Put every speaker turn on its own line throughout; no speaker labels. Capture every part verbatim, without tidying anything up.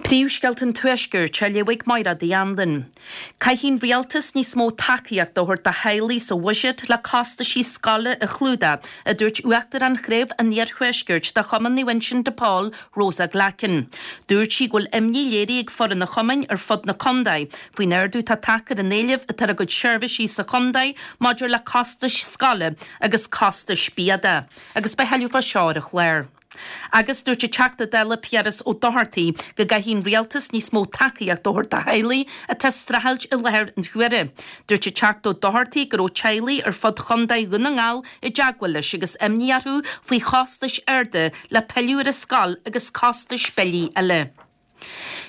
Príomhscéalta an Tuaiscirt á léamh ag Máire Uí Anluain. Caithfidh an rialtas níos mó tacaíocht a thabhairt do theaghlaigh sa bhuiséad le costaisí scoile a chlúdach, a dúirt Uachtarán Chraobh an Iarthuaiscirt de Chumann Naomh Uinseann de Pól, Rosa Glackin. Dúirt sí go bhfuil imní léirithe ag foireann an chumainn ar fud na contae faoin ardú atá tagtha ar an éileamh atá ar a gcuid seirbhísí sa chontae maidir le costais scoile agus costais bia de, agus beidh tuilleadh fá seo ar an chlár. Agus dúirt an Teachta Dála Piaras Ó Dochartaigh go gcaithfidh an rialtas níos mó tacaíocht a thabhairt do theaghlaigh atá ag streachailt i láthair na huaire. Dúirt an Teachta Ó Dochartaigh go raibh teaghlaigh ar fud Chontae Dhún na nGall i dteagmháil leis agus imní orthu faoi chostais arda le pilleadh ar an scoil agus costais billí eile.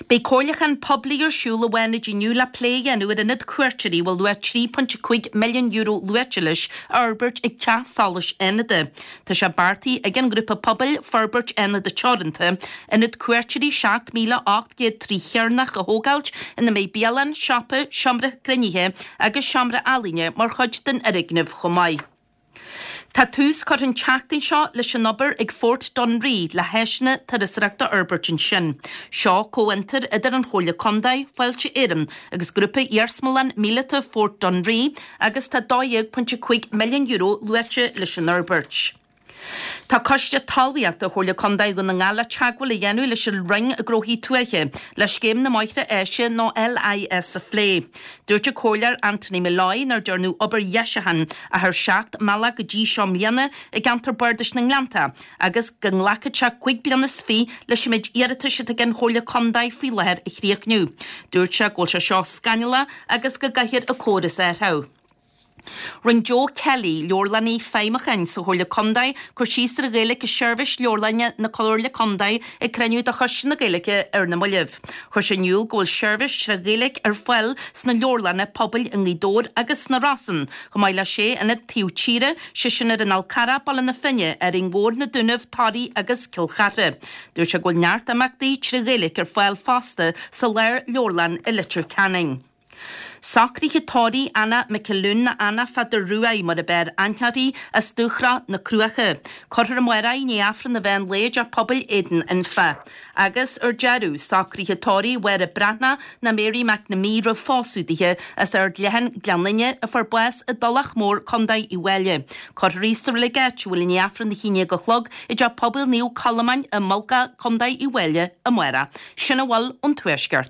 Beidh comhairliúchán poiblí ar siúl i bhFánaid inniu le plé a dhéanamh ar ionad cuairteoirí a bhfuil luach trí phointe cúig milliún euro luaite leis a fhorbairt ag Teach Solais Fhánada. Tá sé beartaithe ag an ngrúpa pobail Forbairt Fhánada Teoranta ionad cuairteoirí seacht míle ocht gcéad trí chearnach a thógáilt ina mbeidh bialann, siopa, seomra cruinnithe agus seomra ealaíne mar chuid den fhoirgneamh chomh maith. Tá tús curtha an tseachtain seo leis an obair ag Fort Dunree le háiseanna turasóireachta a fhorbairt ansin. Seo comhfhiontar idir an Chomhairle Contae, Fáilte Éireann agus Grúpa Iarsmalann Míleata Fort Dunree agus tá dó dhéag pointe cúig milliún euro luaite leis an fhorbairt. Tá Coiste Talmhaíochta Chomhairle Contae Dhún na nGall le teagmháil a dhéanamh leis an Roinn Gnóthaí Tuaithe le Scéim na mBóithre Áise nó LIS a phlé. Dúirt an Comhairleoir Anthony Molloy nár dearnadh obair dheisiúcháin ach ar seacht mbealach go dtí seo i mbliana i gceantar Bardais na nGleannta agus go nglacfadh sé cúig bliana is fiche leis an méid iarratais atá ag an Chomhairle Contae faoi láthair a chríochnú. Dúirt sé go bhfuil sé seo scannalach agus go gcaithfear an córas a athrú. Rinne Joe Kelly, leabharlannaí feidhmiúcháin sa Chomhairle Contae, cur síos ar an Ghaeilge i seirbhís leabharlainne na Comhairle Contae ag cruinniú de Choiste na Gaeilge ar na mallaibh. Chuir sé in iúl go bhfuil seirbhís trí Ghaeilge ar fáil sna leabharlanna pobail i nGaoth Dobhair agus sna Rosann, chomh maith le sé ionad taobh tíre, sé sin ar an Fhál Carrach, Baile na Finne, Árainn Mhór, Na Dúnaibh, Toraigh agus Cill Chartha. Dúirt sé go bhfuil neart imeachtaí trí Ghaeilge ar fáil fosta sa Lár-Leabharlann i Leitir Ceanainn. Socruithe tórraimh Anna McAloon nó Anna Pheadair Ruaidh mar ab fhearr aithne uirthi as Dúshraith na Cruaiche. Cuirfear amárach í i ndiaidh Aifreann an mheán lae i dTeach Pobail Éadan Anfa. Agus ar deireadh, socruithe tórraimh Mháire Breathnach nó Mary McNamee roimh phósadh dithe as Ard Leathan, Gleann Fhinne, a fuair bás i dTulach Mhór, Contae Uíbh Fhailí. Cuirfear í sa reilig áitiúil i ndiaidh Aifreann a haon déag a chlog i dTeach Pobail Naomh Colmán i Mullach, Contae Uíbh Fhailí amárach. Sin a bhfuil ón Tuaisceart.